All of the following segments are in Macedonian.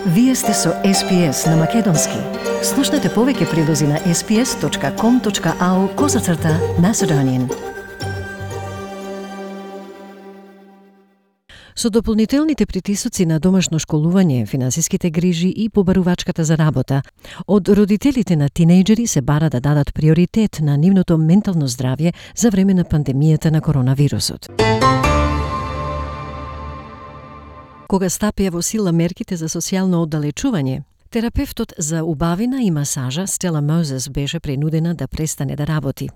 Вие сте со SPS на Македонски. Слушнете повеќе прилози на sps.com.au/Macedonian. Со дополнителните притисоци на домашно школување, финансиските грижи и побарувачката за работа, од родителите на тинејџери се бара да дадат приоритет на нивното ментално здравје за време на пандемијата на коронавирусот. Кога стапија во сила мерките за социјално оддалечување, терапевтот за убавина и масажа Стела Мозес беше принудена да престане да работи.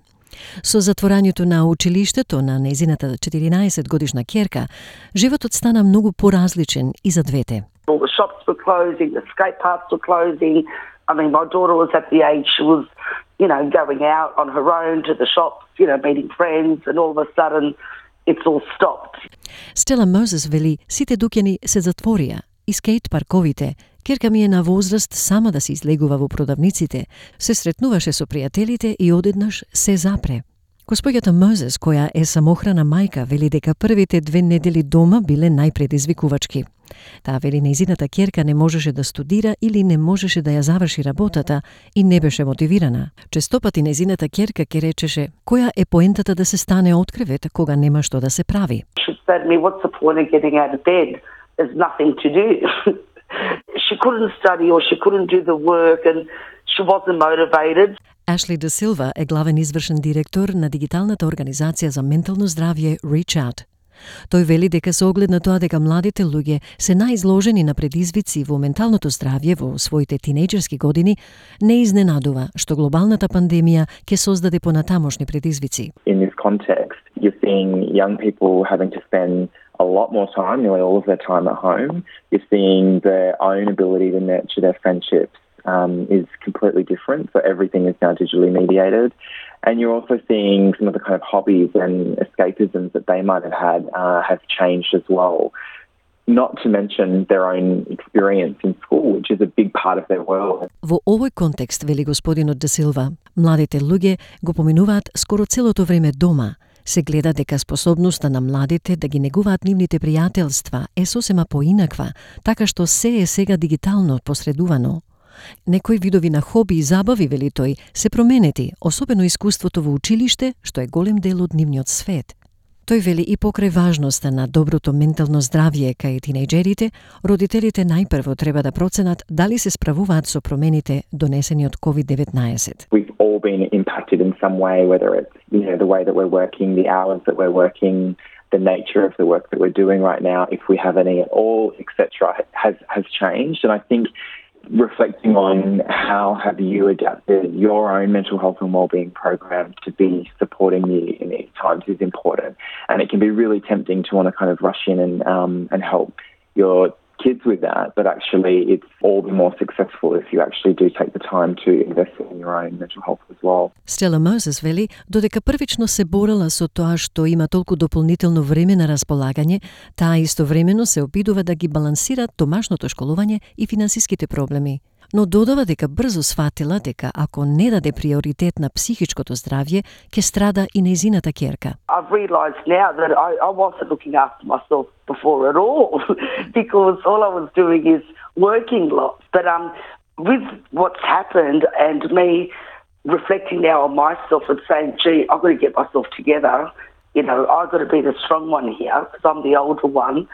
Со затворањето на училиштето на незината 14-годишна ќерка, животот стана многу поразличен и за двете. All the shops were closing, the skate parks were closing. I mean, my daughter was at the age she was, going out on her own to the shops, meeting friends, and all of a sudden it's all stopped. Стела Мозес вели, сите дуќани се затворија и скејт парковите. Ќерка ми е на возраст сама да се излегува во продавниците, се сретнуваше со пријателите и одеднаш се запре. Госпоѓата Мозес, која е самохрана мајка, вели дека првите 2 недели дома биле најпредизвикувачки. Таа вели нејзината ќерка не можеше да студира или не можеше да ја заврши работата и не беше мотивирана. Честопати нејзината ќерка ке речеше која е поентата да се стане од кревет кога нема што да се прави. She said to me, what's the point of getting out of bed? There's nothing to do. She couldn't study or she couldn't do the work and she wasn't motivated. Ашли Де Силва е главен извршен директор на дигиталната организација за ментално здравје Reach Out. Тој вели дека со оглед на тоа дека младите луѓе се најизложени на предизвици во менталното здравје во своите тинејџерски години, не изненадува што глобалната пандемија ќе создаде понатамошни предизвици. In this context, you're seeing young people having to spend a lot more time, nearly all of their time at home. You're seeing their own ability to nurture their friendships is completely different. So everything is now digitally mediated. And you're also seeing some of the kind of hobbies and escapisms that they might have had have changed as well. Not to mention their own experience in school, which is a big part of their world. Во овој контекст, вели господинот Де Силва, младите луѓе го поминуваат скоро целото време дома. Се гледа дека способноста на младите да ги негуваат нивните пријателства е сосема поинаква, така што се е сега дигитално посредувано. Некои видови на хоби и забави, вели тој, се променети, особено искуството во училиште, што е голем дел од нивниот свет. Тој вели и покрај важноста на доброто ментално здравје кај тинејџерите, родителите најпрво треба да проценат дали се справуваат со промените донесени од COVID-19. We've all been impacted in some way, whether it's the way that we're working, the hours that we're working, the nature of the work that we're doing right now, if we have any at all, etc., has changed. And I think reflecting on how have you adapted your own mental health and wellbeing program to be supporting you in these times is important. And it can be really tempting to want to kind of rush in and help your kids with that, but actually it's all the more successful if you actually do take the time to invest in your own mental health as well. Стела Мозес вели, додека првично се борела со тоа што има толку дополнително време на располагање, таа истовремено се обидува да ги балансира домашното школување и финансиските проблеми. Но додава дека брзо сфатила дека ако не даде приоритет на психичкото здравје, ќе страда и нејзината ќерка. I've realised now that I wasn't looking after myself before at all because all I was doing is working lots. But with what's happened and me reflecting now on myself and saying, gee, I've got to get myself together, I've got to be the strong one here because I'm the older one,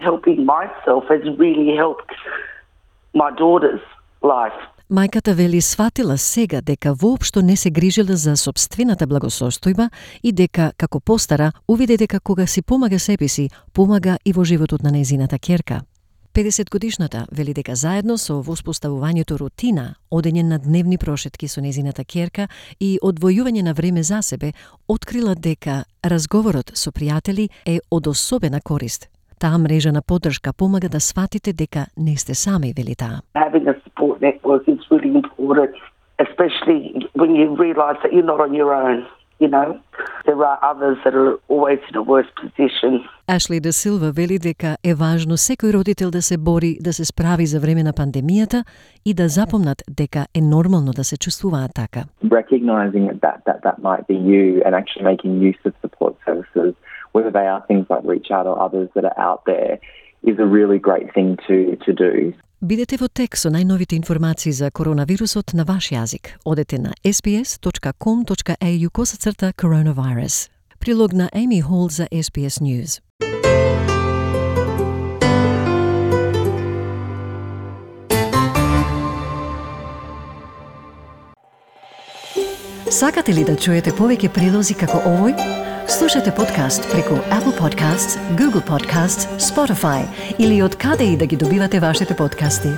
helping myself has really helped my daughter's life. Мајката вели сватила сега дека воопшто не се грижела за сопствената благосостојба и дека, како постара, увиде дека кога си помага себе си, помага и во животот на нејзината ќерка. 50-годишната вели дека заедно со воспоставувањето рутина, одење на дневни прошетки со нејзината ќерка и одвојување на време за себе, открила дека разговорот со пријатели е од особена корист. Таа мрежа на поддршка помага да сватите дека не сте сами, вели таа. Having a support network is really important, especially when you realise that you're not on your own. There are others that are always in a worse position. Ашли Де Силва вели дека е важно секој родител да се бори да се справи за време на пандемијата и да запомнат дека е нормално да се чувствуваат така. Recognizing that might be you and actually making use of support services, whether they are things like Reach Out or others that are out there, is a really great thing to do. Бидете во тек со најновите информации за коронавирусот на ваш јазик. Одете на sbs.com.au/coronavirus. Прилог на Amy Hall за SBS News. Сакате ли да чуете повеќе прилози како овој? Слушате подкаст преку Apple Podcasts, Google Podcasts, Spotify или од каде и да ги добивате вашите подкасти.